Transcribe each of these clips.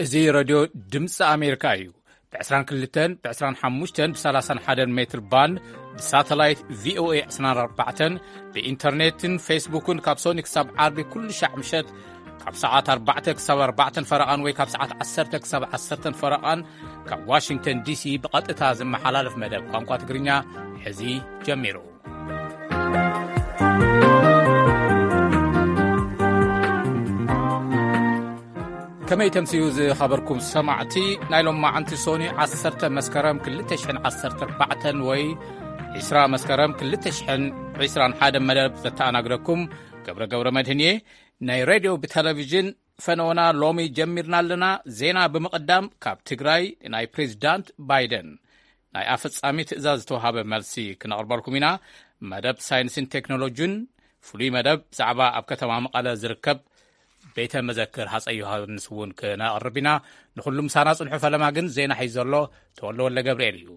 እዚ ሬድዮ ድምፂ ኣሜሪካ እዩ። ብ22፣ ብ25፣ ብ31 ሜትር ባንድ፣ ብሳተላይት ቪ ኦ ኤ ዕስራን ኣርባዕተን፣ ብኢንተርኔትን ፌስቡክን ካብ ሶኒ ክሳብ ዓርቢ ኩሉ ሻዕ ምሸት ካብ ሰዓት ኣርባዕተ ክሳብ ኣርባዕተን ፈረቓን ወይ ካብ ሰዓት ዓሰርተ ክሳብ ዓሰርተን ፈረቓን ካብ ዋሽንግተን ዲ ሲ ብቐጥታ ዝመሓላለፍ መደብ ቋንቋ ትግርኛ ሕዚ ጀሚሩ። ከመይ ተምስዩ ዝኸበርኩም ሰማዕቲ፣ ናይ ሎማዓንቲ ሶኒ ዓሰርተ መስከረም ክልተ ሽሕን ዓሰርተ ኣርባዕተን ወይ ዕስራ መስከረም ክልተ ሽሕን ዕስራን ሓደ መደብ ዘተኣናግደኩም ገብረ ገብረ መድህን እየ። ናይ ሬድዮ ብቴሌቪዥን ፈነወና ሎሚ ጀሚርና ኣለና። ዜና ብምቕዳም ካብ ትግራይ ናይ ፕሬዚዳንት ባይደን ናይ ኣፈጻሚ ትእዛዝ ዝተዋሃበ መልሲ ክነቕርበልኩም ኢና። መደብ ሳይንስን ቴክኖሎጂን ፍሉይ መደብ ብዛዕባ ኣብ ከተማ መቐለ ዝርከብ ቤተ መዘክር ሃፀይ ዮሃንስ እውን ክነቕርብ ኢና። ንኹሉ ምሳና ጽንሑ። ፈለማ ግን ዜና ሒዙ ዘሎ ተወልደ ወልደ ገብርኤል እዩ።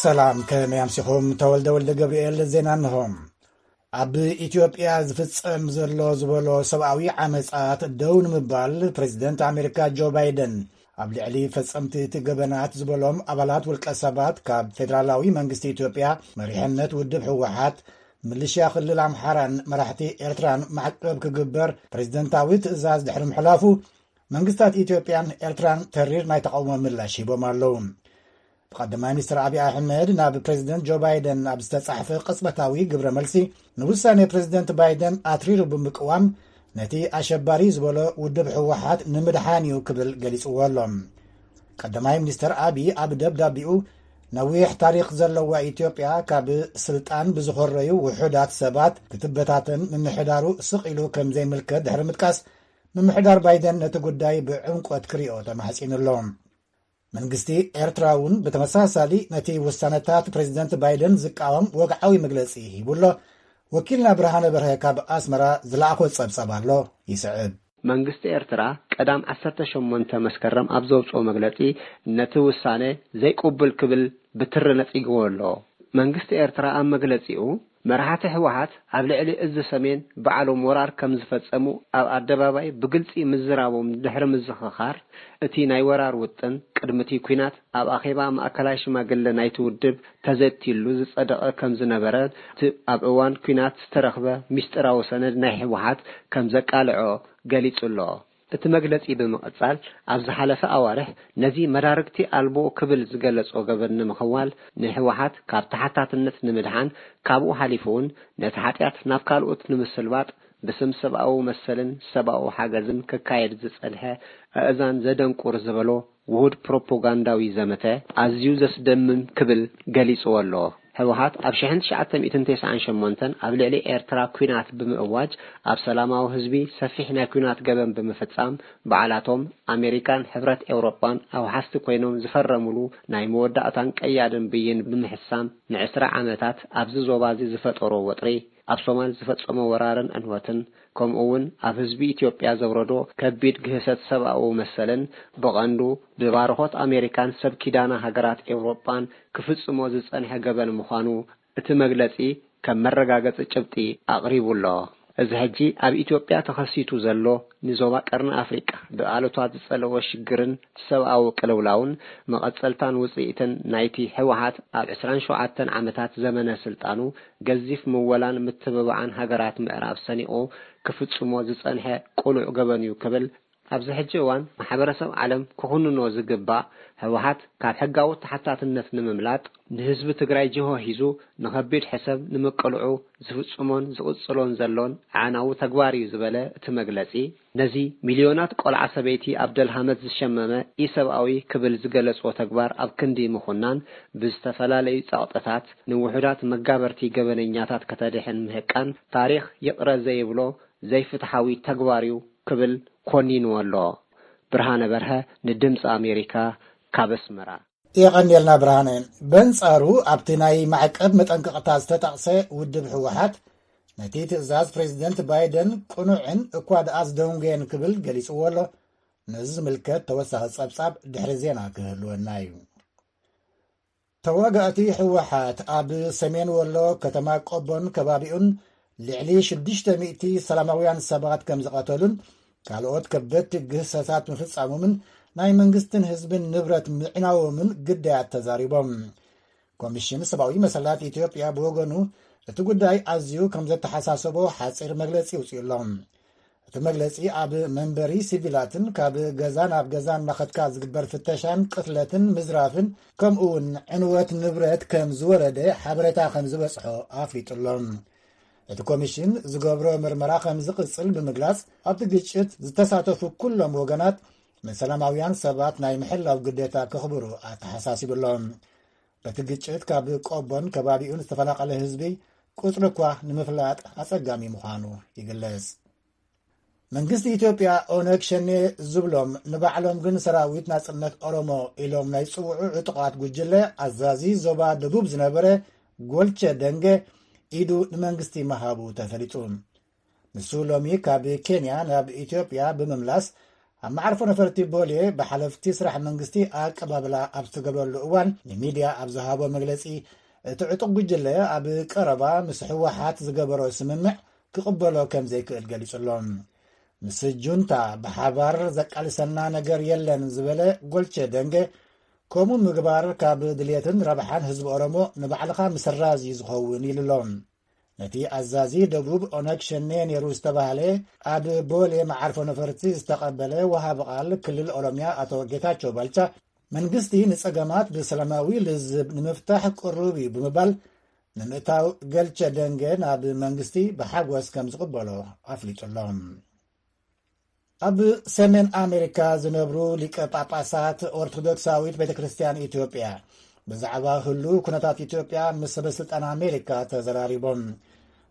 ሰላም፣ ከመይ ኣምሲኹም? ተወልደ ወልደ ገብርኤል ዜና እንሆ። ኣብ ኢትዮጵያ ዝፍጸም ዘሎ ዝበሎ ሰብኣዊ ዓመጻት ደው ንምባል ፕሬዚደንት ኣሜሪካ ጆ ባይደን ኣብ ልዕሊ ፈጸምቲ እቲ ገበናት ዝበሎም ኣባላት ውልቀ ሰባት ካብ ፌደራላዊ መንግስቲ ኢትዮጵያ፣ መሪሕነት ውድብ ህወሓት፣ ምልሽያ ክልል ኣምሓራን መራሕቲ ኤርትራን ማዕቀብ ክግበር ፕሬዚደንታዊ ትእዛዝ ድሕሪ ምሕላፉ፣ መንግስታት ኢትዮጵያን ኤርትራን ተሪር ናይ ተቓውሞ ምላሽ ሂቦም ኣለዉ። ብቐዳማይ ሚኒስትር ኣብይ ኣሕመድ ናብ ፕሬዚደንት ጆ ባይደን ኣብ ዝተጻሕፈ ቅጽበታዊ ግብረ መልሲ፣ ንውሳኔ ፕሬዚደንት ባይደን ኣትሪሩ ብምቅዋም፣ ነቲ ኣሸባሪ ዝበሎ ውድብ ህወሓት ንምድሓን እዩ ክብል ገሊጽዎ ኣሎ። ቀዳማይ ሚኒስትር ኣብይ ኣብ ደብዳቤኡ፣ ነዊሕ ታሪኽ ዘለዋ ኢትዮጵያ ካብ ስልጣን ብዝኾረዩ ውሑዳት ሰባት ክትበታተን ምምሕዳሩ ስቕ ኢሉ ከም ዘይምልከት ድሕሪ ምጥቃስ፣ ምምሕዳር ባይደን ነቲ ጉዳይ ብዕምቆት ክሪኦ ተማሕጺኑ ኣሎ። መንግስቲ ኤርትራ እውን ብተመሳሳሊ ነቲ ውሳነታት ፕሬዚደንት ባይደን ዝቃወም ወግዓዊ መግለጺ ሂቡ ኣሎ። ወኪልና ብርሃነ በርሀ ካብ ኣስመራ ዝለኣኾ ጸብጻብ ኣሎ፣ ይስዕብ። መንግስቲ ኤርትራ ቀዳም ዓሰርተ ሸሞንተ መስከረም ኣብ ዘውጽኦ መግለጺ፣ ነቲ ውሳነ ዘይቅቡል ክብል ብትሪ ነጺግዎ ኣሎ። መንግስቲ ኤርትራ ኣብ መግለጺኡ፣ መራሕቲ ህወሓት ኣብ ልዕሊ እዚ ሰሜን ባዕሎም ወራር ከም ዝፈጸሙ ኣብ ኣደባባይ ብግልጺ ምዝራቦም ድሕሪ ምዝኽኻር፣ እቲ ናይ ወራር ውጥን ቅድሚ እቲ ኲናት ኣብ ኣኼባ ማእከላይ ሽማግለ ናይቲ ውድብ ተዘትይሉ ዝጸደቐ ከም ዝነበረ፣ እቲ ኣብ እዋን ኲናት ዝተረኽበ ሚስጢራዊ ሰነድ ናይ ህወሓት ከም ዘቃልዖ ገሊጹ ኣሎ። እቲ መግለጺ ብምቕጻል፣ ኣብ ዝሓለፈ ኣዋርሕ ነዚ መዳርግቲ ኣልቦ ክብል ዝገለጾ ገበን ንምኽዋል፣ ንህወሓት ካብ ተሓታትነት ንምድሓን፣ ካብኡ ሓሊፉ እውን ነቲ ሓጢኣት ናብ ካልኦት ንምስልባጥ፣ ብስም ሰብኣዊ መሰልን ሰብኣዊ ሓገዝን ክካየድ ዝጸንሐ ኣእዛን ዘደንቁር ዝበሎ ውሁድ ፕሮፓጋንዳዊ ዘመተ ኣዝዩ ዘስደምም ክብል ገሊጽዎ ኣሎ። ህወሓት ኣብ ሽሕን ትሽዓተ ሚእትን ተስዓን ሸሞንተን ኣብ ልዕሊ ኤርትራ ኲናት ብምእዋጅ፣ ኣብ ሰላማዊ ህዝቢ ሰፊሕ ናይ ኲናት ገበን ብምፍጻም፣ ባዕላቶም ኣሜሪካን ሕብረት ኤውሮጳን ኣውሓስቲ ኮይኖም ዝፈረሙሉ ናይ መወዳእታን ቀያድን ብይን ብምሕሳም፣ ንዕስራ ዓመታት ኣብዚ ዞባ እዚ ዝፈጠሮ ወጥሪ፣ ኣብ ሶማል ዝፈጸሞ ወራርን ዕንወትን፣ ከምኡ እውን ኣብ ህዝቢ ኢትዮጵያ ዘውረዶ ከቢድ ግህሰት ሰብኣዊ መሰልን፣ ብቐንዱ ብባርኾት ኣሜሪካን ሰብ ኪዳና ሃገራት ኤውሮጳን ክፍጽሞ ዝጸንሐ ገበን ምዃኑ እቲ መግለጺ ከም መረጋገጺ ጭብጢ ኣቕሪቡ ኣሎ። እዚ ሕጂ ኣብ ኢትዮጵያ ተኸሲቱ ዘሎ፣ ንዞባ ቀርኒ ኣፍሪቃ ብኣሉታ ዝጸለወ ሽግርን ሰብኣዊ ቅልውላውን፣ መቐጸልታን ውጽኢትን ናይቲ ህወሓት ኣብ ዕስራን ሸውዓተን ዓመታት ዘመነ ስልጣኑ ገዚፍ ምወላን ምትብባዓን ሃገራት ምዕራብ ሰኒቑ ክፍጽሞ ዝጸንሐ ቅሉዕ ገበን እዩ ክብል፣ ኣብዚ ሕጂ እዋን ማሕበረሰብ ዓለም ክኹንኖ ዝግባእ፣ ህወሓት ካብ ሕጋዊ ተሓታትነት ንምምላጥ፣ ንህዝቢ ትግራይ ጅሆ ሒዙ ንኸቢድ ሕሰብ ንምቅልዑ ዝፍጽሞን ዝቕጽሎን ዘሎን ኣዕናዊ ተግባር እዩ ዝበለ እቲ መግለጺ፣ ነዚ ሚልዮናት ቆልዓ ሰበይቲ ኣብ ደልሃመት ዝሸመመ ኢሰብኣዊ ክብል ዝገለጾ ተግባር ኣብ ክንዲ ምኹናን፣ ብዝተፈላለዩ ጸቕጥታት ንውሑዳት መጋበርቲ ገበነኛታት ከተድሕን ምህቃን፣ ታሪኽ ይቕረ ዘይብሎ ዘይፍትሓዊ ተግባር እዩ ክብል ኮኒንዎ ኣሎ። ብርሃነ በርሀ ንድምፂ ኣሜሪካ ካብ ኣስመራ። የቐንየልና ብርሃነ። በንጻሩ ኣብቲ ናይ ማዕቀብ መጠንቀቕታ ዝተጠቕሰ ውድብ ህወሓት ነቲ ትእዛዝ ፕሬዚደንት ባይደን ቅኑዕን እኳ ደኣ ዝደንጎየን ክብል ገሊጽዎ ኣሎ። ነዚ ዝምልከት ተወሳኺ ጸብጻብ ድሕሪ ዜና ክህልወና እዩ። ተዋጋእቲ ህወሓት ኣብ ሰሜን ወሎ ከተማ ቆቦን ከባቢኡን ልዕሊ ሽዱሽተ ሚእቲ ሰላማውያን ሰባት ከም ዝቐተሉን ካልኦት ከበድቲ ግህሰታት ምፍጻሞምን ናይ መንግስትን ህዝብን ንብረት ምዕናዎምን ግዳያት ተዛሪቦም። ኮሚሽን ሰብኣዊ መሰላት ኢትዮጵያ ብወገኑ እቲ ጉዳይ ኣዝዩ ከም ዘተሓሳሰቦ ሓጺር መግለጺ ኣውጺኡ ኣሎ። እቲ መግለጺ ኣብ መንበሪ ሲቪላትን ካብ ገዛ ናብ ገዛ እናኸድካ ዝግበር ፍተሻን ቅትለትን ምዝራፍን ከምኡ እውን ዕንወት ንብረት ከም ዝወረደ ሓበሬታ ከም ዝበጽሖ ኣፍሊጡ ኣሎ። እቲ ኮሚሽን ዝገብሮ ምርመራ ከም ዝቕጽል ብምግላጽ ኣብቲ ግጭት ዝተሳተፉ ኩሎም ወገናት ንሰላማውያን ሰባት ናይ ምሕላው ግዴታ ከኽብሩ ኣተሓሳሲቡ ኣሎ። በቲ ግጭት ካብ ቆቦን ከባቢኡን ዝተፈናቐለ ህዝቢ ቁጽሪ እኳ ንምፍላጥ ኣጸጋሚ ምዃኑ ይግለጽ። መንግስቲ ኢትዮጵያ ኦነግ ሸኔ ዝብሎም ንባዕሎም ግን ሰራዊት ናጽነት ኦሮሞ ኢሎም ናይ ዝጽውዑ ዕጡቓት ጉጅለ ኣዛዚ ዞባ ደቡብ ዝነበረ ጎልቸ ደንገ ኢዱ ንመንግስቲ ምሃቡ ተፈሊጡ። ንሱ ሎሚ ካብ ኬንያ ናብ ኢትዮጵያ ብምምላስ ኣብ መዓርፎ ነፈርቲ ቦሌ ብሓለፍቲ ስራሕ መንግስቲ ኣቀባብላ ኣብ ዝተገብረሉ እዋን ንሚድያ ኣብ ዝሃቦ መግለጺ፣ እቲ ዕጡቕ ጉጅለ ኣብ ቀረባ ምስ ህወሓት ዝገበሮ ስምምዕ ክቕበሎ ከም ዘይክእል ገሊጹ ኣሎ። ምስ ጁንታ ብሓባር ዘቃልሰና ነገር የለን ዝበለ ጎልቸ ደንገ፣ ከምኡ ምግባር ካብ ድልየትን ረብሓን ህዝቢ ኦሮሞ ንባዕልኻ ምስራዝ እዩ ዝኸውን ኢሉ ኣሎ። ነቲ ኣዛዚ ደቡብ ኦነግ ሸኔ ነይሩ ዝተባህለ ኣብ ቦሌ መዓርፎ ነፈርቲ ዝተቐበለ ወሃቢ ቃል ክልል ኦሮሚያ ኣቶ ጌታቸው ባልቻ፣ መንግስቲ ንጸገማት ብሰላማዊ ልዝብ ንምፍታሕ ቅሩብ እዩ ብምባል፣ ንምእታው ገልቸ ደንገ ናብ መንግስቲ ብሓጎስ ከም ዝቕበሎ ኣፍሊጡ ኣሎ። ኣብ ሰሜን ኣሜሪካ ዝነብሩ ሊቀ ጳጳሳት ኦርቶዶክሳዊት ቤተ ክርስቲያን ኢትዮጵያ ብዛዕባ ህሉ ኩነታት ኢትዮጵያ ምስ ሰበ ስልጣን ኣሜሪካ ተዘራሪቦም።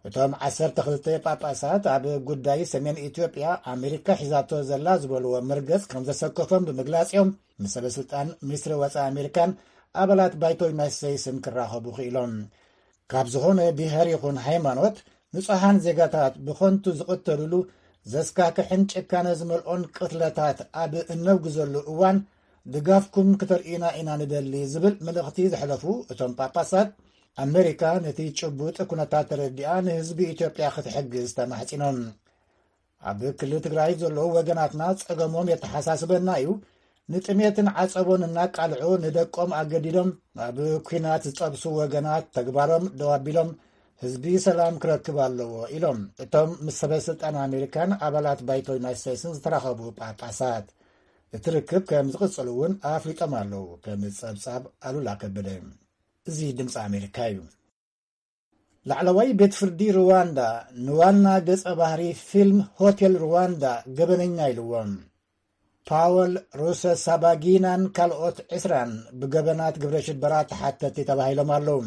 እቶም ዓሰርተ ክልተ ጳጳሳት ኣብ ጉዳይ ሰሜን ኢትዮጵያ ኣሜሪካ ሒዛቶ ዘላ ዝበልዎ መርገጽ ከም ዘሰከፎም ብምግላጽ እዮም ምስ ሰበ ስልጣን ሚኒስትሪ ወጻኢ ኣሜሪካን ኣባላት ባይቶ ዩናይትድ ስቴትስን ክራኸቡ ክኢሎም። ካብ ዝኾነ ብሄር ይኹን ሃይማኖት ንጹሃን ዜጋታት ብኸንቱ ዝቕተሉሉ ዘስካክሕን ጭካነ ዝመልኦን ቅትለታት ኣብ እነውግዘሉ እዋን ድጋፍኩም ክተርእዩና ኢና ንደሊ ዝብል መልእኽቲ ዘሕለፉ እቶም ጳጳሳት፣ ኣሜሪካ ነቲ ጭቡጥ ኩነታት ተረዲኣ ንህዝቢ ኢትዮጵያ ክትሕግዝ ተማሕጺኖም። ኣብ ክልል ትግራይ ዘለዉ ወገናትና ጸገሞም የተሓሳስበና እዩ። ንጥሜትን ዓጸቦን እናቃልዑ ንደቆም ኣገዲዶም ኣብ ኲናት ዝጠብሱ ወገናት ተግባሮም ደው ኣቢሎም ህዝቢ ሰላም ክረክብ ኣለዎ ኢሎም እቶም ምስ ሰበ ስልጣን ኣሜሪካን ኣባላት ባይቶ ዩናይት ስቴትስን ዝተራኸቡ ጳጳሳት። እቲ ርክብ ከም ዝቕጽል እውን ኣፍሊጦም ኣለዉ። ከም ጸብጻብ ኣሉላ ከበደ። እዚ ድምፂ ኣሜሪካ እዩ። ላዕለዋይ ቤት ፍርዲ ሩዋንዳ ንዋና ገጸ ባህሪ ፊልም ሆቴል ሩዋንዳ ገበነኛ ኢልዎም። ፓወል ሩሰሳባጊናን ካልኦት ዕስራን ብገበናት ግብረ ሽበራ ተሓተቲ ተባሂሎም ኣለዉ።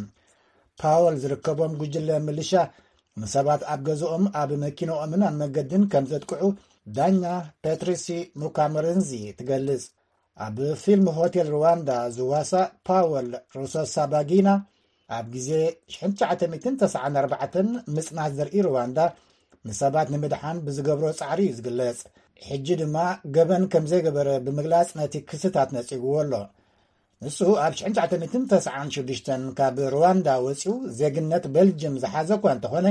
ፓወል ዝርከቦም ጉጅለ ምልሻ ንሰባት ኣብ ገዝኦም፣ ኣብ መኪንኦምን ኣብ መገድን ከም ዘጥቅዑ ዳኛ ፔትሪሲ ሙካመረንዚ ትገልጽ። ኣብ ፊልም ሆቴል ሩዋንዳ ዝዋሳእ ፓወል ሩሰሳባጊና፣ ኣብ ግዜ ሽሕን ትሽዓተ ሚእትን ተስዓን ኣርባዕተን ምጽናት ዘርኢ ሩዋንዳ ንሰባት ንምድሓን ብዝገብሮ ጻዕሪ እዩ ዝግለጽ። ሕጂ ድማ ገበን ከም ዘይገበረ ብምግላጽ ነቲ ክስታት ነጺግዎ ኣሎ። ንሱ ኣብ ሽሕን ትሽዓተ ሚእትን ተስዓን ሽዱሽተን ካብ ሩዋንዳ ወጺኡ ዜግነት ቤልጅም ዝሓዘ እኳ እንተኾነ፣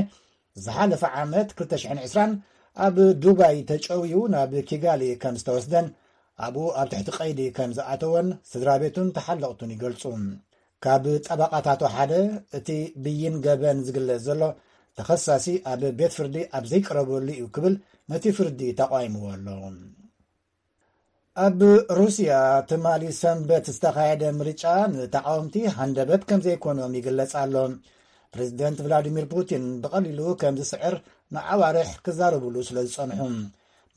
ዝሓለፈ ዓመት ክልተ ሽሕን ዕስራን ኣብ ዱባይ ተጨውዩ ናብ ኪጋሊ ከም ዝተወስደን ኣብኡ ኣብ ትሕቲ ቀይዲ ከም ዝኣተወን ስድራ ቤቱን ተሓለቕቱን ይገልጹ። ካብ ጠበቓታቱ ሓደ፣ እቲ ብይን ገበን ዝግለጽ ዘሎ ተኸሳሲ ኣብ ቤት ፍርዲ ኣብ ዘይቀረበሉ እዩ ክብል ነቲ ፍርዲ ተቓዊምዎ ኣሎ። ኣብ ሩስያ ትማሊ ሰንበት ዝተኻየደ ምርጫ ንተቓወምቲ ሃንደበት ከም ዘይኮኖም ይግለጽ ኣሎ። ፕሬዚደንት ቭላዲሚር ፑቲን ብቐሊሉ ከም ዝስዕር ንኣዋርሕ ክዛረብሉ ስለ ዝጸንሑ፣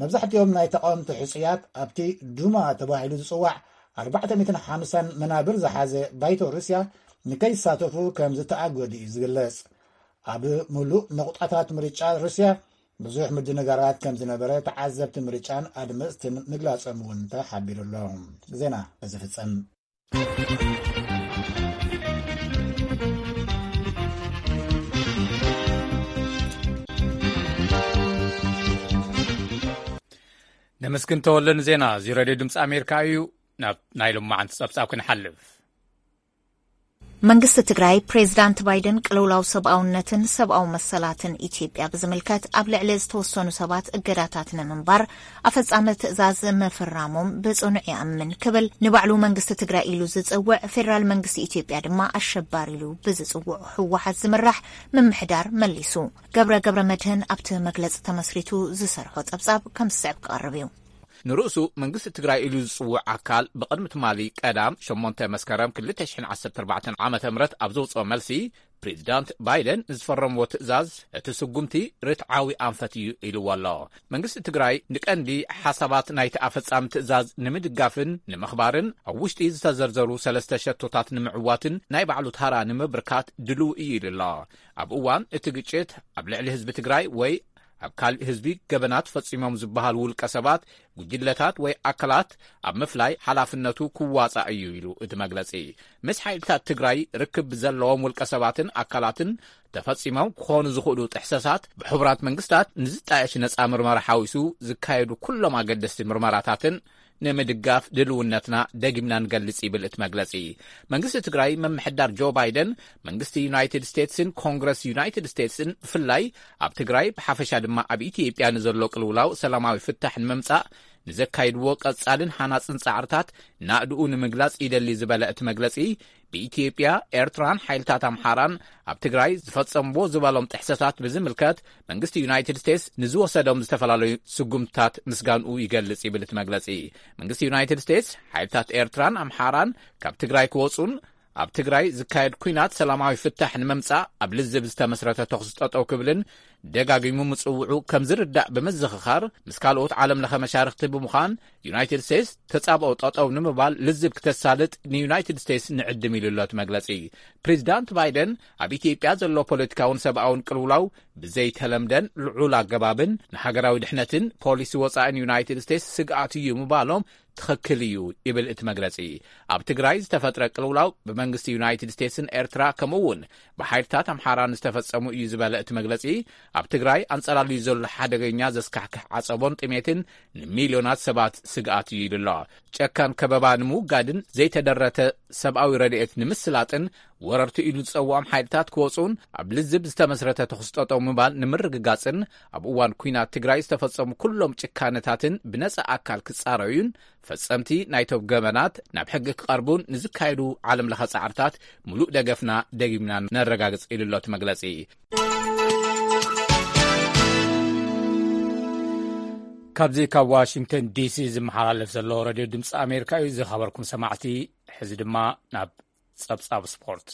መብዛሕትኦም ናይ ተቓወምቲ ሕጹያት ኣብቲ ዱማ ተባሂሉ ዝጽዋዕ ኣርባዕተ ሚእትን ሓምሳን መናብር ዝሓዘ ባይቶ ሩስያ ንከይሳተፉ ከም ዝተኣገዱ እዩ ዝግለጽ። ኣብ ምሉእ ነቑጣታት ምርጫ ሩስያ ብዙሕ ምድንጋራት ከም ዝነበረ ተዓዘብቲ ምርጫን ኣድመፅትን ምግላጾም እውን ተሓቢሩ ኣሎ። ዜና እዚ ፍጸም። ነመስግን ተወለ ንዜና እዚ ሬድዮ ድምፂ ኣሜሪካ እዩ። ናብ ናይ ሎማዓንቲ ጸብጻብ ክንሓልፍ። መንግስቲ ትግራይ፣ ፕሬዝዳንት ባይደን ቅልውላው ሰብኣውነትን ሰብኣዊ መሰላትን ኢትዮጵያ ብዝምልከት ኣብ ልዕሊ ዝተወሰኑ ሰባት እገዳታት ንምንባር ኣፈጻሚ ትእዛዝ ምፍራሞም ብጽኑዕ ይኣምን ክብል ንባዕሉ መንግስቲ ትግራይ ኢሉ ዝጽውዕ ፌደራል መንግስቲ ኢትዮጵያ ድማ ኣሸባሪ ኢሉ ብዝጽውዑ ህወሓት ዝምራሕ ምምሕዳር መሊሱ። ገብረ ገብረ መድህን ኣብቲ መግለጺ ተመስሪቱ ዝሰርሖ ጸብጻብ ከም ዝስዕብ ክቐርብ እዩ። ንርእሱ መንግስቲ ትግራይ ኢሉ ዝጽውዕ ኣካል ብቕድሚ ትማሊ ቀዳም ሸሞንተ መስከረም ክልተ ሽሕን ዓሰርተ ኣርባዕተን ዓመተ ምህረት ኣብ ዘውጽኦ መልሲ፣ ፕሬዚዳንት ባይደን ዝፈረምዎ ትእዛዝ እቲ ስጉምቲ ርትዓዊ ኣንፈት እዩ ኢልዎ ኣሎ። መንግስቲ ትግራይ ንቀንዲ ሓሳባት ናይቲ ኣፈጻሚ ትእዛዝ ንምድጋፍን ንምኽባርን ኣብ ውሽጢ ዝተዘርዘሩ ሰለስተ ሸቶታት ንምዕዋትን ናይ ባዕሉ ታራ ንምብርካት ድልው እዩ ኢሉ ኣሎ። ኣብ እዋን እቲ ግጭት ኣብ ልዕሊ ህዝቢ ትግራይ ወይ ኣብ ካልእ ህዝቢ ገበናት ፈጺሞም ዝበሃሉ ውልቀ ሰባት፣ ጉጅለታት ወይ ኣካላት ኣብ ምፍላይ ሓላፍነቱ ክዋጻእ እዩ ኢሉ እቲ መግለጺ። ምስ ሓይልታት ትግራይ ርክብ ዘለዎም ውልቀ ሰባትን ኣካላትን ተፈጺሞም ክኾኑ ዝኽእሉ ጥሕሰታት ብሕቡራት መንግስታት ንዝጣየሽ ነጻ ምርመራ ሓዊሱ ዝካየዱ ኩሎም ኣገደስቲ ምርመራታትን ንምድጋፍ ድልውነትና ደጊምና ንገልጽ ይብል እቲ መግለጺ። መንግስቲ ትግራይ ምምሕዳር ጆ ባይደን መንግስቲ ዩናይትድ ስቴትስን ኮንግረስ ዩናይትድ ስቴትስን ብፍላይ ኣብ ትግራይ ብሓፈሻ ድማ ኣብ ኢትዮጵያ ንዘሎ ቅልውላው ሰላማዊ ፍታሕ ንምምጻእ ንዘካይድዎ ቀጻልን ሃናጽን ጻዕርታት ናእድኡ ንምግላጽ ይደሊ ዝበለ እቲ መግለጺ፣ ብኢትዮጵያ፣ ኤርትራን ሓይልታት ኣምሓራን ኣብ ትግራይ ዝፈጸምዎ ዝበሎም ጥሕሰታት ብዝምልከት መንግስቲ ዩናይትድ ስቴትስ ንዝወሰዶም ዝተፈላለዩ ስጉምትታት ምስጋንኡ ይገልጽ ይብል እቲ መግለጺ። መንግስቲ ዩናይትድ ስቴትስ ሓይልታት ኤርትራን ኣምሓራን ካብ ትግራይ ክወጹን ኣብ ትግራይ ዝካየድ ኲናት ሰላማዊ ፍታሕ ንምምጻእ ኣብ ልዝብ ዝተመስረተ ተኹሲ ጠጠው ክብልን ደጋጊሙ ምጽውዑ ከም ዝርዳእ ብምዝኽኻር፣ ምስ ካልኦት ዓለም ለኸ መሻርኽቲ ብምዃን ዩናይትድ ስቴትስ ተጻብኦ ጠጠው ንምባል ልዝብ ክተሳልጥ ንዩናይትድ ስቴትስ ንዕድም ኢሉ ኣሎ እቲ መግለጺ። ፕሬዚዳንት ባይደን ኣብ ኢትዮጵያ ዘሎ ፖለቲካውን ሰብኣውን ቅልውላው ብዘይተለምደን ልዑል ኣገባብን ንሃገራዊ ድሕነትን ፖሊሲ ወጻእን ዩናይትድ ስቴትስ ስግኣት እዩ ምባሎም ትኽክል እዩ ይብል እቲ መግለጺ። ኣብ ትግራይ ዝተፈጥረ ቅልውላው ብመንግስቲ ዩናይትድ ስቴትስን ኤርትራ ከምኡ እውን ብሓይልታት ኣምሓራን ዝተፈጸሙ እዩ ዝበለ እቲ መግለጺ፣ ኣብ ትግራይ ኣንጸላልዩ ዘሎ ሓደገኛ ዘስካሕክሕ ዓጸቦን ጥሜትን ንሚልዮናት ሰባት ስግኣት እዩ ኢሉ ኣሎ። ጨካን ከበባ ንምውጋድን ዘይተደረተ ሰብኣዊ ረድኤት ንምስላጥን ወረርቲ ኢሉ ዝጸውዖም ሓይልታት ክወጹን ኣብ ልዝብ ዝተመስረተ ተኹሲ ጠጠው ምባል ንምርግጋጽን ኣብ እዋን ኲናት ትግራይ ዝተፈጸሙ ኩሎም ጭካነታትን ብነጻ ኣካል ክጻረዩን ፈጸምቲ ናይቶም ገበናት ናብ ሕጊ ክቐርቡን ንዝካየዱ ዓለም ለኸ ጻዕርታት ምሉእ ደገፍና ደጊምና ነረጋግጽ ኢሉ ኣሎ እቲ መግለጺ። ካብዚ ካብ ዋሽንግተን ዲሲ ዝመሓላለፍ ዘሎ ሬድዮ ድምፂ ኣሜሪካ እዩ። ዝኸበርኩም ሰማዕቲ፣ ሕዚ ድማ ናብ ጸብጻብ ስፖርት።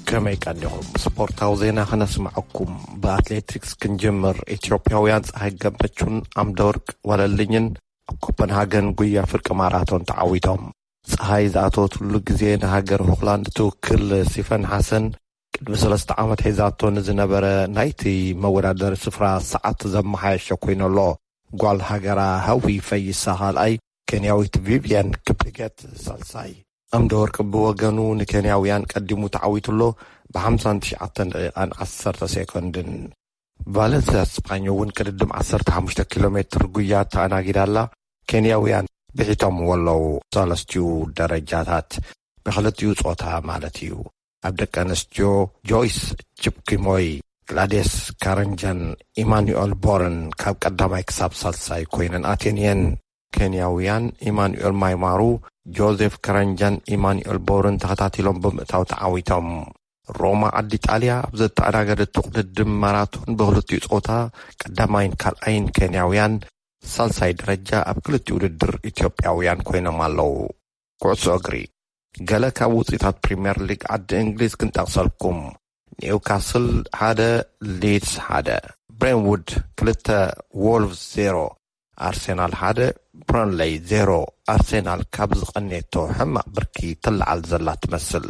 ከመይ ቀኒኹም? ስፖርታዊ ዜና ከነስምዐኩም። ብኣትሌቲክስ ክንጅምር። ኢትዮጵያውያን ፀሃይ ገመቹን ኣምደወርቅ ዋለልኝን ኣብ ኮፐንሃገን ጉያ ፍርቂ ማራቶን ተዓዊቶም። ፀሃይ ዝኣተወትሉ ግዜ ንሃገር ሆላንድ ትውክል ሲፈን ሓሰን ቅድሚ ሰለስተ ዓመት ሒዛቶ ንዝነበረ ናይቲ መወዳደሪ ስፍራ ሰዓት ዘመሓየሸ ኮይኑ ኣሎ። ጓል ሃገራ ሃዊ ፈይሳ ካልኣይ፣ ኬንያዊት ቪቪያን ክፕሊገት ሳልሳይ። ኣምደ ወርቂ ብወገኑ ንኬንያውያን ቀዲሙ ተዓዊቱ ኣሎ ብ59 ደቂቓን ዓሰርተ ሴኮንድን። ቫለንስያ ስፓኞ እውን ቅድድም 15 ኪሎ ሜትር ጉያ ተኣናጊዳ ኣላ። ኬንያውያን ብሒቶምዎ ኣለዉ ሰለስቲኡ ደረጃታት፣ ብክልቲኡ ጾታ ማለት እዩ። ኣብ ደቂ ኣንስትዮ ጆይስ ቺፕኪሞይ፣ ግላዴስ ካረንጃን ኢማኑኤል ቦርን ካብ ቀዳማይ ክሳብ ሳልሳይ ኮይነን ኣትየን እየን። ኬንያውያን ኢማኑኤል ማይማሩ፣ ጆዜፍ ካረንጃን ኢማኑኤል ቦርን ተኸታቲሎም ብምእታው ተዓዊቶም። ሮማ ዓዲ ጣልያ ኣብ ዘተኣናገደቱ ቅድድም ማራቶን ብክልቲኡ ጾታ ቀዳማይን ካልኣይን ኬንያውያን፣ ሳልሳይ ደረጃ ኣብ ክልቲኡ ውድድር ኢትዮጵያውያን ኮይኖም ኣለዉ። ኩዕሶ እግሪ። ገለ ካብ ውጽኢታት ፕሪምየር ሊግ ዓዲ እንግሊዝ ክንጠቕሰልኩም። ኒውካስል ሓደ፣ ሊድስ ሓደ፣ ብሬንውድ ክልተ፣ ዎልቭስ ዜሮ፣ ኣርሴናል ሓደ፣ ብረንለይ ዜሮ። ኣርሴናል ካብ ዝቐንየቶ ሕማቕ ብርኪ ትለዓል ዘላ ትመስል።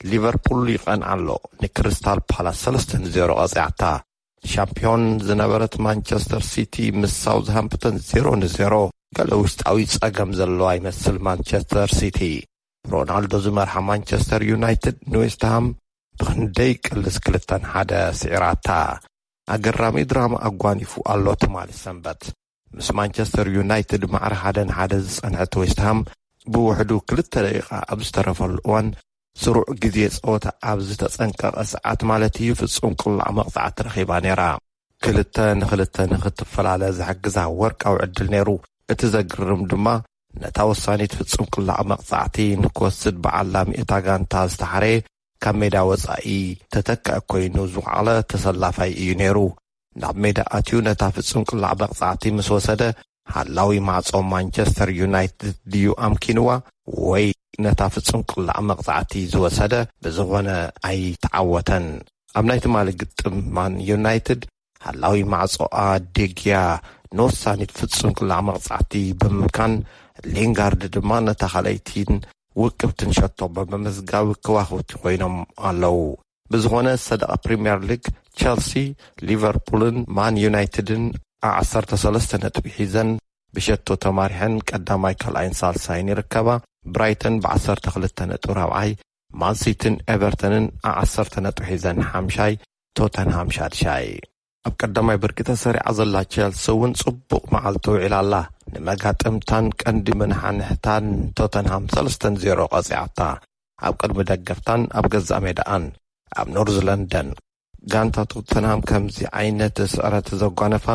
ሊቨርፑል ይቐንዓ ኣሎ፣ ንክሪስታል ፓላስ ሰለስተ ንዜሮ ቀጺዓታ። ሻምፒዮን ዝነበረት ማንቸስተር ሲቲ ምስ ሳውዝሃምፕተን ዜሮ ንዜሮ። ገለ ውሽጣዊ ጸገም ዘለዋ ይመስል ማንቸስተር ሲቲ። ሮናልዶ ዝመርሓ ማንቸስተር ዩናይትድ ንዌስትሃም ብኽንደይ ቅልስ ክልተ ንሓደ ስዒራታ። ኣገራሚ ድራማ ኣጓኒፉ ኣሎ ትማሊ ሰንበት። ምስ ማንቸስተር ዩናይትድ ማዕረ ሓደ ንሓደ ዝጸንሐት ዌስትሃም፣ ብውሕዱ ክልተ ደቂቓ ኣብ ዝተረፈሉ እዋን፣ ስሩዕ ግዜ ጸወታ ኣብ ዝተጸንቀቐ ሰዓት ማለት እዩ፣ ፍጹም ቅላዕ መቕጻዕቲ ረኺባ ነይራ። ክልተ ንክልተ ንክትፈላለ ዝሕግዛ ወርቃዊ ዕድል ነይሩ። እቲ ዘግርም ድማ፣ ነታ ወሳኒት ፍጹም ቅላዕ መቕጻዕቲ ንክወስድ ብዓላሚ እታ ጋንታ ዝተሓረየ፣ ካብ ሜዳ ወጻኢ ተተካኢ ኮይኑ ዝወዓለ ተሰላፋይ እዩ ነይሩ። ናብ ሜዳ ኣትዩ ነታ ፍጹም ቅላዕ መቕጻዕቲ ምስ ወሰደ፣ ሓላዊ ማዕጾ ማንቸስተር ዩናይትድ ድዩ ኣምኪንዋ፣ ወይ ነታ ፍጹም ቅላዕ መቕጻዕቲ ዝወሰደ? ብዝኾነ፣ ኣይተዓወተን። ኣብ ናይ ትማሊ ግጥም ማን ዩናይትድ፣ ሓላዊ ማዕጾኣ ዴግያ ንወሳኒት ፍጹም ቅላዕ መቕጻዕቲ ብምምካን፣ ሊንጋርድ ድማ ነታ ካልኣይቲን ውቅብትን ሸቶ ብምምዝጋብ ከዋኽብቲ ኮይኖም ኣለዉ። ብዝኾነ፣ ሰደቓ ፕሪምየር ሊግ፣ ቸልሲ፣ ሊቨርፑልን ማን ዩናይትድን ዓ ዓሰርተ ሰለስተ ነጥቢ ሒዘን ብሸቶ ተማሪሐን ቀዳማይ፣ ካልኣይን ሳልሳይን ይርከባ። ብራይተን ብ ዓሰርተ ክልተ ነጥቢ ራብዓይ፣ ማን ሲቲን ኤቨርተንን ዓ ዓሰርተ ነጥቢ ሒዘን ሓምሻይ፣ ቶተንሃም ሻድሻይ። ኣብ ቀዳማይ ብርቂ ተሰሪዓ ዘላ ቸልሲ እውን ጽቡቕ መዓልቲ ውዒላ ኣላ። ንመጋጥምታን ቀንዲ መናሓንሕታን ቶተንሃም ሰለስተ ን ዜሮ ቀጺዓታ። ኣብ ቅድሚ ደገፍታን ኣብ ገዛእ ሜዳኣን ኣብ ኖርዝ ለንደን። ጋንታ ቶተንሃም ከምዚ ዓይነት ስዕረት ዘጓነፋ፣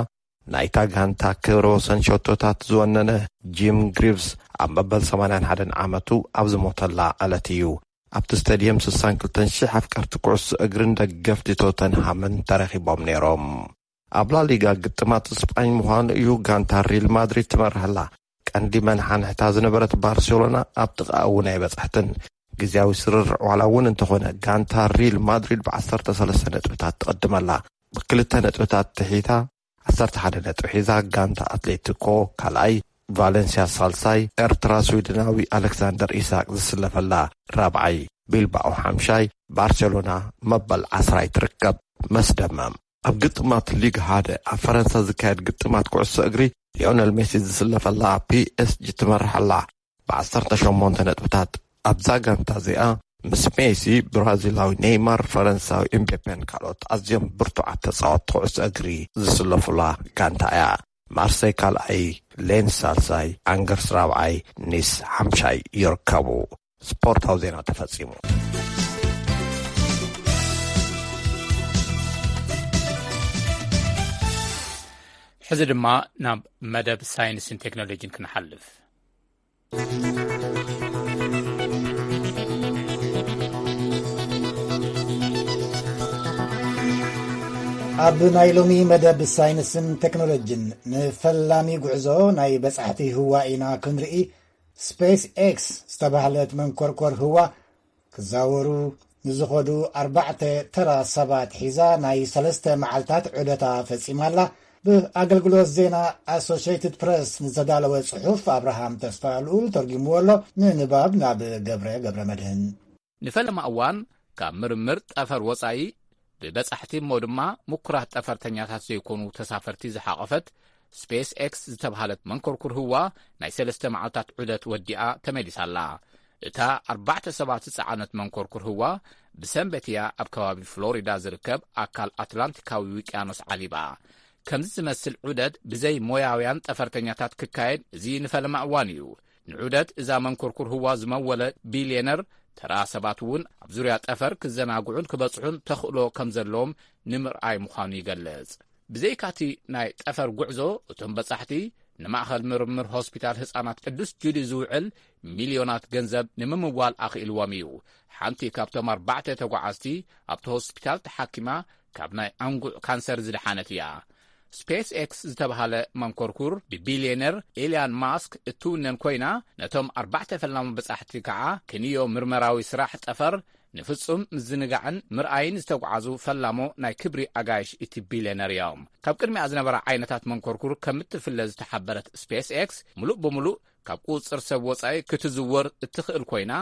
ናይታ ጋንታ ክብረ ወሰን ሸቶታት ዝወነነ ጂም ግሪቭስ ኣብ መበል ሰማንያን ሓደን ዓመቱ ኣብ ዝሞተላ ዕለት እዩ። ኣብቲ ስታድየም ስሳን ክልተን ሽሕ ኣፍቀርቲ ኩዕሶ እግርን ደገፍቲ ቶተንሃምን ተረኺቦም ነይሮም። ኣብ ላሊጋ ግጥማት ስጳኝ ምዃኑ እዩ፣ ጋንታ ሪል ማድሪድ ትመርሕ ኣላ። ቀንዲ መናሓንሕታ ዝነበረት ባርሴሎና ኣብ ጥቓኣ እውን ኣይበጽሐትን። ግዝያዊ ስርርዕ ዋላ እውን እንተኾነ፣ ጋንታ ሪል ማድሪድ ብ ዓሰርተ ሰለስተ ነጥብታት ትቕድም ኣላ። ብክልተ ነጥብታት ትሒታ ዓሰርተ ሓደ ነጥቢ ሒዛ፣ ጋንታ ኣትሌቲኮ ካልኣይ፣ ቫለንሲያ ሳልሳይ፣ ኤርትራ ስዊድናዊ ኣሌክሳንደር ኢሳቅ ዝስለፈላ ራብዓይ፣ ቢልባኦ ሓምሻይ፣ ባርሴሎና መበል ዓስራይ ትርከብ። መስደመም። ኣብ ግጥማት ሊግ ሓደ ኣብ ፈረንሳ ዝካየድ ግጥማት ኩዕሶ እግሪ፣ ሊዮነል ሜሲ ዝስለፈላ ፒ ኤስ ጂ ትመርሕ ኣላ ብ ዓሰርተ ሸሞንተ ነጥብታት። ኣብዛ ጋንታ እዚኣ ምስ ሜሲ፣ ብራዚላዊ ኔይማር፣ ፈረንሳዊ ኤምቤፔን ካልኦት ኣዝዮም ብርቱዓት ተጻወትቲ ኩዕሶ እግሪ ዝስለፉላ ጋንታ እያ። ማርሰይ ካልኣይ፣ ሌንስ ሳልሳይ፣ ኣንገርስ ራብዓይ፣ ኒስ ሓምሻይ ይርከቡ። ስፖርታዊ ዜና ተፈጺሙ። ሕዚ ድማ ናብ መደብ ሳይንስን ቴክኖሎጂን ክንሓልፍ። ኣብ ናይ ሎሚ መደብ ሳይንስን ቴክኖሎጂን፣ ንፈላሚ ጉዕዞ ናይ በጻሕቲ ህዋ ኢና ክንርኢ። ስፔስ ኤክስ ዝተባህለት መንኮርኮር ህዋ ክዛወሩ ንዝኸዱ ኣርባዕተ ተራ ሰባት ሒዛ ናይ ሰለስተ መዓልታት ዑደታ ፈጺማ ኣላ። ብኣገልግሎት ዜና ኣሶሽየትድ ፕረስ ንዝተዳለወ ጽሑፍ ኣብርሃም ተስፋ ልኡል ተርጉምዎ ኣሎ። ንንባብ ናብ ገብረ ገብረ መድህን። ንፈለማ እዋን ካብ ምርምር ጠፈር ወጻኢ፣ ብበጻሕቲ እሞ ድማ ምኩራት ጠፈርተኛታት ዘይኮኑ ተሳፈርቲ ዝሓቖፈት ስፔስ ኤክስ ዝተብሃለት መንኮርኩር ህዋ ናይ ሰለስተ መዓልታት ዑደት ወዲኣ ተመሊሳ ኣላ። እታ ኣርባዕተ ሰባት ዝጸዓነት መንኮርኩር ህዋ ብሰንበት እያ ኣብ ከባቢ ፍሎሪዳ ዝርከብ ኣካል ኣትላንቲካዊ ውቅያኖስ ዓሊባ። ከምዚ ዝመስል ዑደት ብዘይ ሞያውያን ጠፈርተኛታት ክካየድ እዚ ንፈለማ እዋን እዩ። ንዑደት እዛ መንኮርኩር ህዋ ዝመወለ ቢልየነር፣ ተራ ሰባት እውን ኣብ ዙርያ ጠፈር ክዘናግዑን ክበጽሑን ተኽእሎ ከም ዘለዎም ንምርኣይ ምዃኑ ይገልጽ። ብዘይካቲ ናይ ጠፈር ጉዕዞ፣ እቶም በጻሕቲ ንማእኸል ምርምር ሆስፒታል ህጻናት ቅዱስ ጁሊ ዝውዕል ሚልዮናት ገንዘብ ንምምዋል ኣኽኢልዎም እዩ። ሓንቲ ካብቶም ኣርባዕተ ተጓዓዝቲ ኣብቲ ሆስፒታል ተሓኪማ ካብ ናይ ኣንጉዕ ካንሰር ዝደሓነት እያ። ስፔስ ኤክስ ዝተባህለ መንኮርኩር ብቢልየነር ኤልያን ማስክ እትውነን ኮይና፣ ነቶም ኣርባዕተ ፈላሚ በጻሕቲ ከዓ ክንዮ ምርመራዊ ስራሕ ጠፈር ንፍጹም ምዝንጋዕን ምርኣይን ዝተጓዓዙ ፈላሞ ናይ ክብሪ ኣጋይሽ እቲ ቢልየነር እዮም። ካብ ቅድሚኣ ዝነበራ ዓይነታት መንኮርኩር ከም እትፍለ ዝተሓበረት ስፔስ ኤክስ፣ ምሉእ ብምሉእ ካብ ቁጽጽር ሰብ ወጻኢ ክትዝወር እትኽእል ኮይና፣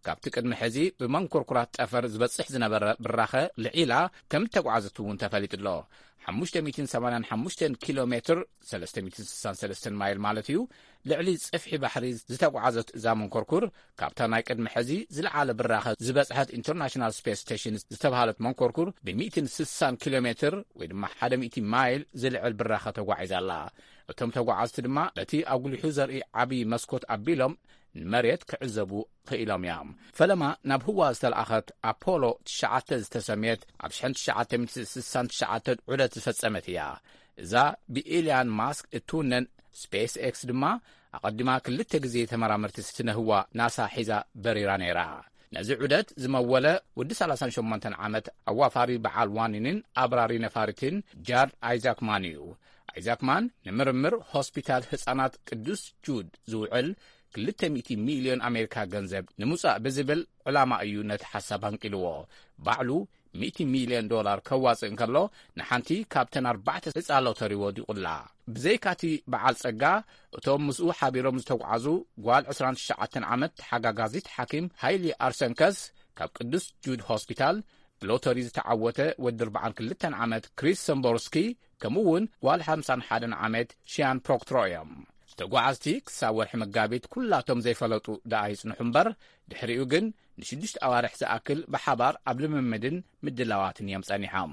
ካብቲ ቅድሚ ሕዚ ብመንኮርኩራት ጠፈር ዝበጽሕ ዝነበረ ብራኸ ልዒላ ከም እተጓዓዘት እውን ተፈሊጡ ኣሎ። ሓሙሽተ ሚእትን ሰማንያን ሓሙሽተን ኪሎ ሜትር፣ ሰለስተ ሚእትን ስሳን ሰለስተን ማይል ማለት እዩ፣ ልዕሊ ጽፍሒ ባሕሪ ዝተጓዓዘት እዛ መንኮርኩር፣ ካብታ ናይ ቅድሚ ሕዚ ዝለዓለ ብራኸ ዝበጽሐት ኢንተርናሽናል ስፔስ ስቴሽን ዝተባህለት መንኮርኩር ብሚእትን ስሳን ኪሎ ሜትር ወይ ድማ ሓደ ሚእቲ ማይል ዝልዕል ብራኸ ተጓዒዛ ኣላ። እቶም ተጓዓዝቲ ድማ በቲ ኣጉሊሑ ዘርኢ ዓቢ መስኮት ኣቢሎም ንመሬት ክዕዘቡ ክኢሎም እዮም። ፈለማ ናብ ህዋ ዝተለኣኸት ኣፖሎ ትሽዓተ ዝተሰምየት ኣብ ሽሕን ትሽዓተ ሚእትን ስሳን ትሽዓተን ዑደት ዝፈጸመት እያ። እዛ ብኢልያን ማስክ እትውነን ስፔስ ኤክስ ድማ ኣቐዲማ ክልተ ግዜ ተመራመርቲ ስነ ህዋ ናሳ ሒዛ በሪራ ነይራ። ነዚ ዑደት ዝመወለ ወዲ ሰላሳን ሸሞንተን ዓመት ኣዋፋሪ በዓል ዋኒንን ኣብራሪ ነፋሪትን ጃድ ኣይዛክማን እዩ። ኣይዛክማን ንምርምር ሆስፒታል ህጻናት ቅዱስ ጁድ ዝውዕል ክልተ ሚእቲ ሚልዮን ኣሜሪካ ገንዘብ ንምውጻእ ብዝብል ዕላማ እዩ ነቲ ሓሳብ ኣንቂልዎ። ባዕሉ ሚእቲ ሚልዮን ዶላር ከዋጽእ እንከሎ፣ ንሓንቲ ካብተን ኣርባዕተ ዕጻ ሎተሪ ወዲቑላ። ብዘይካቲ በዓል ጸጋ፣ እቶም ምስኡ ሓቢሮም ዝተጓዓዙ ጓል ዕስራን ትሽዓተን ዓመት ተሓጋጋዚት ሓኪም ሃይሊ ኣርሰንከስ ካብ ቅዱስ ጁድ ሆስፒታል፣ ብሎተሪ ዝተዓወተ ወዲ ኣርባዓን ክልተን ዓመት ክሪስ ሰምቦርስኪ፣ ከምኡ እውን ጓል ሓምሳን ሓደን ዓመት ሽያን ፕሮክትሮ እዮም። ተጓዓዝቲ ክሳብ ወርሒ መጋቢት ኩላቶም ዘይፈለጡ ደኣ ይጽንሑ እምበር፣ ድሕሪኡ ግን ንሽዱሽተ ኣዋርሕ ዝኣክል ብሓባር ኣብ ልምምድን ምድላዋትን እዮም ጸኒሖም።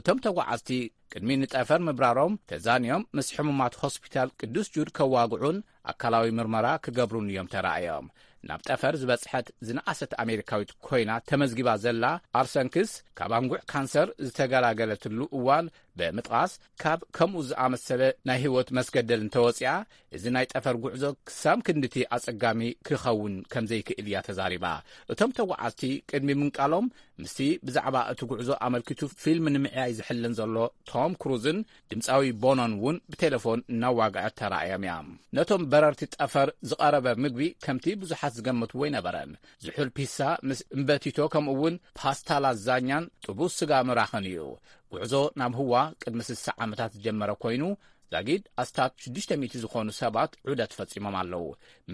እቶም ተጓዓዝቲ ቅድሚ ንጠፈር ምብራሮም ተዛንዮም ምስ ሕሙማት ሆስፒታል ቅዱስ ጁድ ከዋግዑን ኣካላዊ ምርመራ ክገብሩን እዮም ተራእዮም። ናብ ጠፈር ዝበጽሐት ዝነኣሰት ኣሜሪካዊት ኮይና ተመዝጊባ ዘላ ኣርሰንክስ፣ ካብ ኣንጉዕ ካንሰር ዝተገላገለትሉ እዋን ብምጥቓስ፣ ካብ ከምኡ ዝኣመሰለ ናይ ህይወት መስገደል እንተወጺኣ፣ እዚ ናይ ጠፈር ጉዕዞ ክሳብ ክንድቲ ኣጸጋሚ ክኸውን ከም ዘይክእል እያ ተዛሪባ። እቶም ተጓዓዝቲ ቅድሚ ምንቃሎም፣ ምስቲ ብዛዕባ እቲ ጉዕዞ ኣመልኪቱ ፊልም ንምዕያይ ዝሕልን ዘሎ ቶም ክሩዝን ድምጻዊ ቦኖን እውን ብቴሌፎን እናዋግዐ ተራእዮም እዮም። ነቶም በረርቲ ጠፈር ዝቐረበ ምግቢ ከምቲ ብዙሓት ዝገመትዎ ኣይነበረን። ዝሑል ፒሳ ምስ እምበቲቶ፣ ከምኡ እውን ፓስታ ላዛኛን ጥቡስ ስጋ ምራኽን እዩ። ጉዕዞ ናብ ህዋ ቅድሚ ስሳ ዓመታት ዝጀመረ ኮይኑ፣ ዛጊድ ኣስታት ሽዱሽተ ሚእቲ ዝኾኑ ሰባት ዑደት ፈጺሞም ኣለዉ።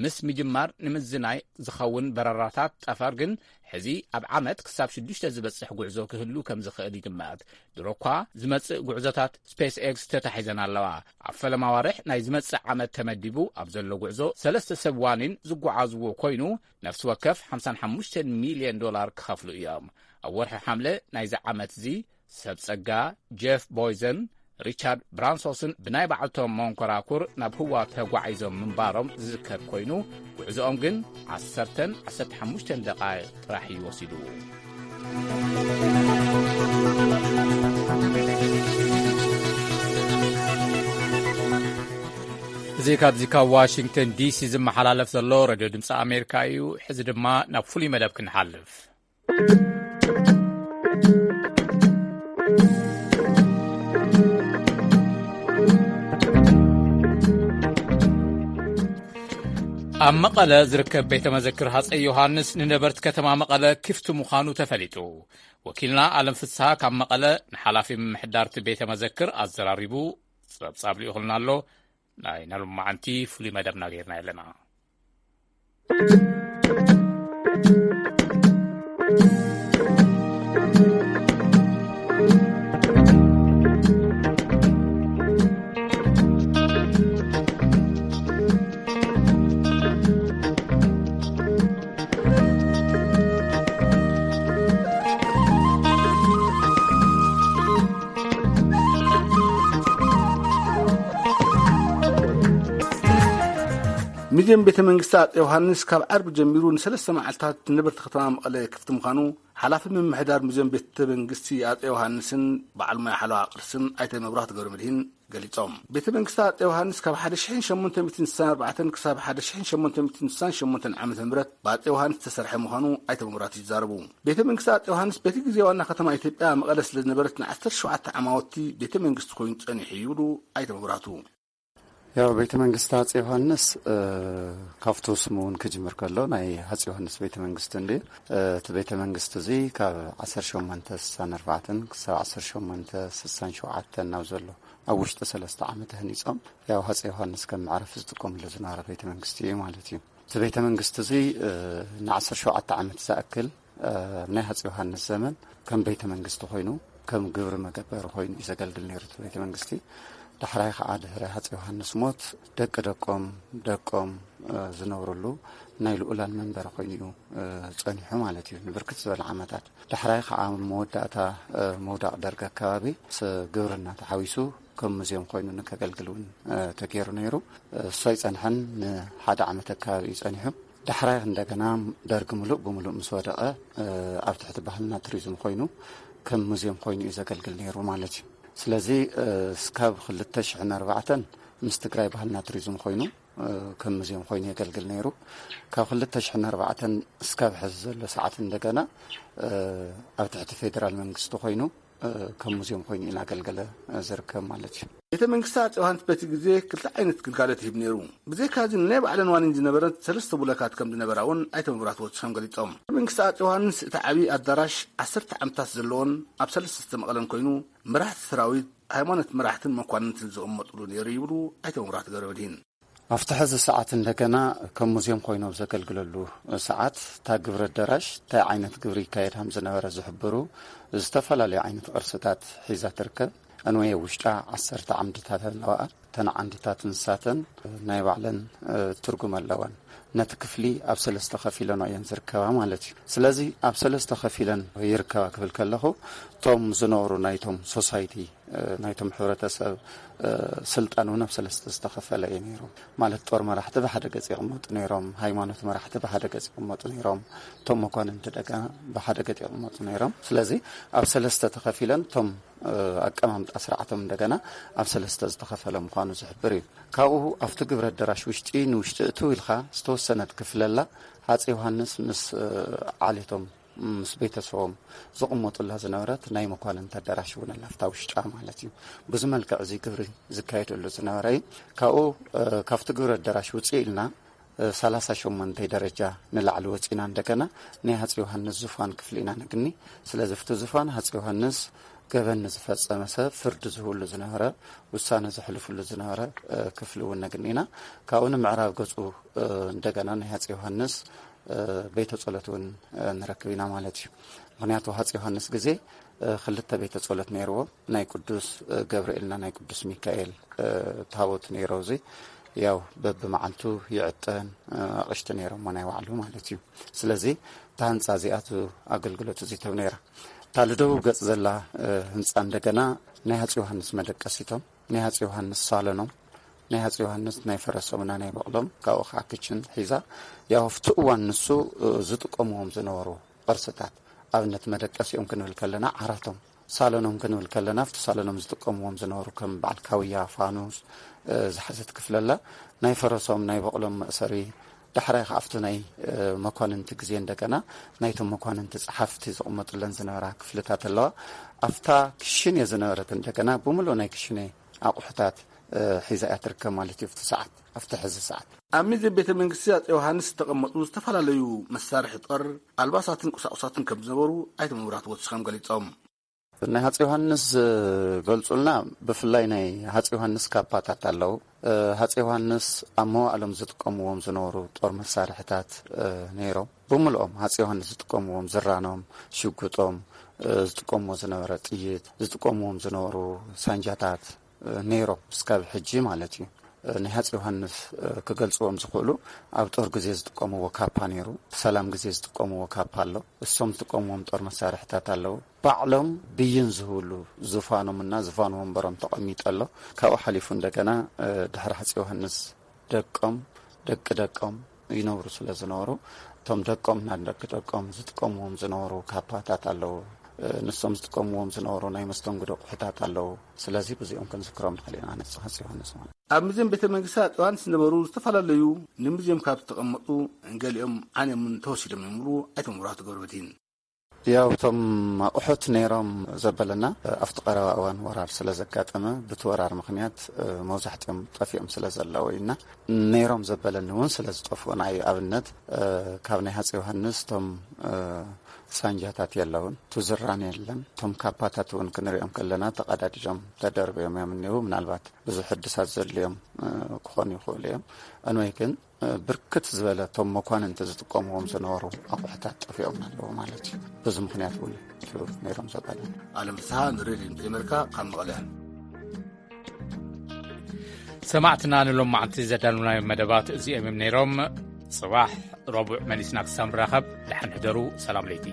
ምስ ምጅማር ንምዝናይ ዝኸውን በረራታት ጠፈር ግን፣ ሕዚ ኣብ ዓመት ክሳብ ሽዱሽተ ዝበጽሕ ጉዕዞ ክህሉ ከም ዝኽእል ይግመት። ድሮ እኳ ዝመጽእ ጉዕዞታት ስፔስ ኤክስ ተታሒዘን ኣለዋ። ኣብ ፈለማ ዋርሕ ናይ ዝመጽእ ዓመት ተመዲቡ ኣብ ዘሎ ጉዕዞ፣ ሰለስተ ሰብ ዋኒን ዝጓዓዝዎ ኮይኑ፣ ነፍሲ ወከፍ ሓምሳን ሓሙሽተን ሚልዮን ዶላር ክኸፍሉ እዮም። ኣብ ወርሒ ሓምለ ናይዚ ዓመት እዚ፣ ሰብ ጸጋ ጀፍ ቦይዘን ሪቻርድ ብራንሶስን ብናይ ባዕልቶም መንኮራኩር ናብ ህዋ ተጓዒዞም ምንባሮም ዝዝከር ኮይኑ፣ ጉዕዞኦም ግን ዓሰርተን ዓሰርተ ሓሙሽተን ደቓይቕ ጥራሕ እዩ ወሲዱ። እዚ ካብ፣ እዚ ካብ ዋሽንግተን ዲሲ ዝመሓላለፍ ዘሎ ሬድዮ ድምፂ ኣሜሪካ እዩ። ሕዚ ድማ ናብ ፍሉይ መደብ ክንሓልፍ። ኣብ መቐለ ዝርከብ ቤተ መዘክር ሃፀይ ዮሃንስ ንነበርቲ ከተማ መቐለ ክፍቲ ምዃኑ ተፈሊጡ። ወኪልና ኣለም ፍስሃ ካብ መቐለ ንሓላፊ ምምሕዳርቲ ቤተ መዘክር ኣዘራሪቡ ጸብጻብ ልኢኹልና ኣሎ። ናይ ናሎማዓንቲ ፍሉይ መደብና ጌርና ኣለና። ሙዚየም ቤተ መንግስቲ ኣጼ ዮሃንስ ካብ ዓርቢ ጀሚሩ ንሰለስተ መዓልታት ንነበርቲ ከተማ መቐለ ክፍቲ ምዃኑ ሓላፊ ምምሕዳር ሙዚየም ቤተ መንግስቲ ኣጼ ዮሃንስን በዓል ሞያ ሓለዋ ቅርስን ኣይተ መብራህቱ ገብረመድህን ገሊጾም። ቤተ መንግስቲ ኣጼ ዮሃንስ ካብ ሓደ ሽሕን ሸሞንተ ሚእትን ስሳን ኣርባዕተን ክሳብ ሓደ ሽሕን ሸሞንተ ሚእትን ስሳን ሸሞንተን ዓመተ ምህረት ብኣጼ ዮሃንስ ዝተሰርሐ ምዃኑ ኣይተ መብራህቱ ይዛረቡ። ቤተ መንግስቲ ኣጼ ዮሃንስ በቲ ግዜ ዋና ከተማ ኢትዮጵያ መቐለ ስለ ዝነበረት ንዓሰርተ ሸውዓተ ዓማውቲ ቤተ መንግስቲ ኮይኑ ጸኒሑ ይብሉ ኣይተ መብራህቱ። ያው ቤተ መንግስቲ ኣጼ ዮሃንስ፣ እ፣ ካብቱ ስሙ እውን ክጅምር ከሎ ናይ ኣጼ ዮሃንስ ቤተ መንግስቲ እንድዩ። እ፣ እቲ ቤተ መንግስቲ እዚ ካብ ዓሰርተ ሸሞንተ ስሳን ኣርባዕተን ክሳብ ዓሰርተ ሸሞንተ ስሳን ሸውዓተን ናብ ዘሎ ኣብ ውሽጢ ሰለስተ ዓመት ተህኒጾም፣ ያው ኣጼ ዮሃንስ ከም መዕረፊ ዝጥቀምሉ ዝነበረ ቤተ መንግስቲ እዩ ማለት እዩ። እቲ ቤተ መንግስቲ እዚ ንዓሰርተ ሸውዓተ ዓመት ዝኣክል ኣብ ናይ ሃፀ ዮሃንስ ዘመን ከም ቤተ መንግስቲ ኮይኑ፣ ከም ግብሪ መገበሪ ኮይኑ እዩ ዘገልግል ነይሩ። እቲ ቤተ መንግስቲ ዳሕራይ ከዓ ድሕሪ ሃፀ ዮሃንስ ሞት ደቂ ደቆም ደቆም ዝነብርሉ ናይ ልኡላን መንበሪ ኮይኑ እዩ ጸኒሑ ማለት እዩ። ንብርክት ዝበለ ዓመታት ዳሕራይ ከዓ መወዳእታ ምውዳቕ ደርግ ኣከባቢ ግብርና ተሓዊሱ ከም ሙዚየም ኮይኑ ንከገልግል እውን ተገይሩ ነይሩ። እሱ ኣይጸንሐን፣ ንሓደ ዓመት ኣከባቢ እዩ ጸኒሑ። ዳሕራይ እንደገና ደርግ ምሉእ ብምሉእ ምስ ወደቐ ኣብ ትሕቲ ባህልና ቱሪዝም ኮይኑ ከም ሙዚየም ኮይኑ እዩ ዘገልግል ነይሩ ማለት እዩ። ስለዚ እስካብ ክልተ ሽሕን ኣርባዕተን ምስ ትግራይ ባህልና ቱሪዝም ኮይኑ ከም ሙዚየም ኮይኑ የገልግል ነይሩ። ካብ ክልተ ሽሕን ኣርባዕተን እስካብ ሕዚ ዘሎ ሰዓት እንደገና ኣብ ትሕቲ ፌደራል መንግስቲ ኮይኑ ከም ሙዚየም ኮይኑ እናገልገለ ዝርከብ ማለት እዩ። ቤተ መንግስቲ ኣጼ ዮሃንስ በቲ ግዜ ክልተ ዓይነት ግልጋሎት ይህብ ነይሩ። ብዘይካዚ ንናይ ባዕለን ዋኒን ዝነበረት ሰለስተ ቡለካት ከም ዝነበራ እውን ኣይተ መብራህቱ ወሲኾም ገሊጾም። ቤተ መንግስቲ ኣጼ ዮሃንስ እቲ ዓብዪ ኣዳራሽ ዓሰርተ ዓምድታት ዘለዎን ኣብ ሰለስተ ዝተመቐለን ኮይኑ፣ መራሕቲ ሰራዊት፣ ሃይማኖት መራሕትን መኳንንትን ዝቕመጥሉ ነይሩ ይብሉ ኣይተ መብራህቱ ገብረመድህን። ኣብቲ ሕዚ ሰዓት እንደገና ከም ሙዚየም ኮይኑ ኣብ ዘገልግለሉ ሰዓት፣ እታ ግብሪ ኣዳራሽ እንታይ ዓይነት ግብሪ ይካየድ ከም ዝነበረ ዝሕብሩ ዝተፈላለዩ ዓይነት ቅርስታት ሒዛ ትርከብ። እንወየ ውሽጣ ዓሰርተ ዓምድታት ኣለዋ። እተን ዓምድታት ንሳተን ናይ ባዕለን ትርጉም ኣለወን። ነቲ ክፍሊ ኣብ ሰለስተ ከፊለንኦ እየን ዝርከባ ማለት እዩ። ስለዚ ኣብ ሰለስተ ከፊለን ይርከባ ክብል ከለኹ፣ እቶም ዝነብሩ ናይቶም ሶሳይቲ ናይቶም ሕብረተሰብ ስልጣን እውን ኣብ ሰለስተ ዝተኸፈለ እዩ ነይሩ። ማለት ጦር መራሕቲ ብሓደ ገጽ ይቕመጡ ነይሮም፣ ሃይማኖት መራሕቲ ብሓደ ገጽ ይቕመጡ ነይሮም፣ እቶም መኳንንቲ ደጋ ብሓደ ገጽ ይቕመጡ ነይሮም። ስለዚ ኣብ ሰለስተ ተኸፊለን እቶም ኣቀማምጣ ስርዓቶም እንደገና ኣብ ሰለስተ ዝተኸፈለ ምዃኑ ዝሕብር እዩ። ካብኡ ኣብቲ ግብረ ኣዳራሽ ውሽጢ ንውሽጢ እትው ኢልካ ዝተወሰነት ክፍለላ ሃፀይ ዮሃንስ ምስ ዓሌቶም ምስ ቤተሰቦም ዝቕመጡላ ዝነበረት ናይ መኳንንቲ ኣዳራሽ እውን ኣላ፣ ኣብታ ውሽጣ ማለት እዩ። ብዙ መልክዕ እዚ ግብሪ ዝካየደሉ ዝነበረ እዩ። ካብኡ ካብቲ ግብሪ ኣዳራሽ ውፅእ ኢልና ሰላሳ ሸሞንተ ደረጃ ንላዕሊ ወፂና እንደገና ናይ ሃፀ ዮሃንስ ዙፋን ክፍሊ ኢና ነግኒ። ስለዚ ኣብቲ ዙፋን ሃፀ ዮሃንስ ገበን ንዝፈፀመ ሰብ ፍርዲ ዝህብሉ ዝነበረ፣ ውሳነ ዘሕልፍሉ ዝነበረ ክፍሊ እውን ነግኒ ኢና። ካብኡ ንምዕራብ ገፁ እንደገና ናይ ሃፀ ዮሃንስ ቤተ ጸሎት እውን ንረክብ ኢና ማለት እዩ። ምኽንያቱ ሃፀ ዮሃንስ ግዜ ክልተ ቤተ ጸሎት ነይርዎ፣ ናይ ቅዱስ ገብርኤልና ናይ ቅዱስ ሚካኤል ታቦት ነይሮ። እዚ ያው በብመዓልቱ ይዕጠን ኣቕሽቲ ነይሮሞ ናይ ባዕሉ ማለት እዩ። ስለዚ እታ ህንፃ እዚኣ ኣገልግሎት እዚ ተብ ነይራ። እታ ልደቡብ ገፅ ዘላ ህንፃ እንደገና ናይ ሃፀ ዮሃንስ መደቀሲቶም፣ ናይ ሃፀ ዮሃንስ ሳሎኖም፣ ናይ ሃፀ ዮሃንስ ናይ ፈረሶምና ናይ በቕሎም፣ ካብኡ ከዓ ክችን ሒዛ። ያው ኣብቲ እዋን ንሱ ዝጥቀምዎም ዝነበሩ ቅርስታት፣ ኣብነት መደቀሲኦም ክንብል ከለና ዓራቶም፣ ሳሎኖም ክንብል ከለና ኣብቲ ሳሎኖም ዝጥቀምዎም ዝነበሩ ከም በዓል ካውያ፣ ፋኑስ ዝሓዘት ክፍለላ፣ ናይ ፈረሶም ናይ በቕሎም መእሰሪ፣ ዳሕራይ ከዓ ኣብቲ ናይ መኳንንቲ ግዜ እንደገና ናይቶም መኳንንቲ ጸሓፍቲ ዝቕመጡለን ዝነበራ ክፍልታት ኣለዋ። ኣብታ ክሽኔ ዝነበረት እንደገና ብምሉእ ናይ ክሽኔ ኣቑሑታት ሒዛ እያ ትርከብ ማለት እዩ። ኣብቲ ሰዓት ኣብቲ ሕዚ ሰዓት ኣብ ሚዜ ቤተ መንግስቲ ኣጼ ዮሃንስ ዝተቐመጡ ዝተፈላለዩ መሳርሒ ጦር፣ ኣልባሳትን ቁሳቁሳትን ከም ዝነበሩ ኣይተ መብራህቱ ወሲኾም ገሊጾም። ናይ ሃፀ ዮሃንስ ዝገልጹልና፣ ብፍላይ ናይ ሃፀ ዮሃንስ ካፓታት ኣለዉ። ሃፀ ዮሃንስ ኣብ መዋእሎም ዝጥቀምዎም ዝነበሩ ጦር መሳርሕታት ነይሮም። ብምልኦም ሃፀ ዮሃንስ ዝጥቀምዎም ዝራኖም፣ ሽጉጦም፣ ዝጥቀምዎ ዝነበረ ጥይት፣ ዝጥቀምዎም ዝነበሩ ሳንጃታት ነይሮም፣ እስካብ ሕጂ ማለት እዩ። ናይ ሃፀ ዮሃንስ ክገልጽዎም ዝኽእሉ፣ ኣብ ጦር ግዜ ዝጥቀምዎ ካፓ ነይሩ፣ ሰላም ግዜ ዝጥቀምዎ ካፓ ኣሎ። እሶም ዝጥቀምዎም ጦር መሳርሕታት ኣለዉ። ባዕሎም ብይን ዝህብሉ ዙፋኖምና ዙፋን ወንበሮም ተቐሚጠ ኣሎ። ካብኡ ሓሊፉ እንደገና ድሕሪ ሃፀ ዮሃንስ ደቆም ደቂ ደቆም ይነብሩ ስለ ዝነበሩ፣ እቶም ደቆም እና ደቂ ደቆም ዝጥቀምዎም ዝነበሩ ካፓታት ኣለዉ። ንሶም ዝጥቀምዎም ዝነበሩ ናይ መስተንግዶ ኣቑሑታት ኣለዉ። ስለዚ ብዚኦም ክንዝክሮም ንኽእል ኢና። ነጽ ሃፀ ዮሃንስ ማለት ኣብ ሙዚየም ቤተ መንግስቲ ኣጽዋን ዝነበሩ ዝተፈላለዩ ንሙዚየም ካብ ዝተቐመጡ ገሊኦም ዓንዮምን ተወሲዶም እዮም ይብሉ ኣይተ መብራህቱ ገብረመድህን። ያው እቶም ኣቑሑት ነይሮም ዘበለና ኣብቲ ቀረባ እዋን ወራር ስለ ዘጋጠመ፣ ብቲ ወራር ምኽንያት መብዛሕትኦም ጠፊኦም ስለ ዘለዉ ኢና። ነይሮም ዘበለኒ እውን ስለ ዝጠፍኡ፣ ንኣብነት ካብ ናይ ሃፀ ዮሃንስ እቶም ሳንጃታት የለውን፣ ትዝራን የለን። እቶም ካፓታት እውን ክንሪኦም ከለና ተቐዳዲዶም ተደርቢዮም እዮም እኒው። ምናልባት ብዙሕ ሕድሳት ዘድልዮም ክኾኑ ይኽእሉ እዮም። ኣንወይ ግን ብርክት ዝበለ እቶም መኳንንቲ ዝጥቀምዎም ዝነበሩ ኣቑሑታት ጠፊኦም ኣለዉ ማለት እዩ። በዚ ምኽንያት እውን እዩ ነይሮም ዘባለ። ኣለም ፍስሓ ንሬድዮ ድምፂ ኣሜሪካ ካብ መቐለ። ሰማዕትና ንሎም መዓልቲ ዘዳልውናዮም መደባት እዚኦም እዮም ነይሮም። ጽባሕ ረቡዕ መሊስና ክሳብ ንራኸብ ደሓን ሕደሩ። ሰላም ለይቲ።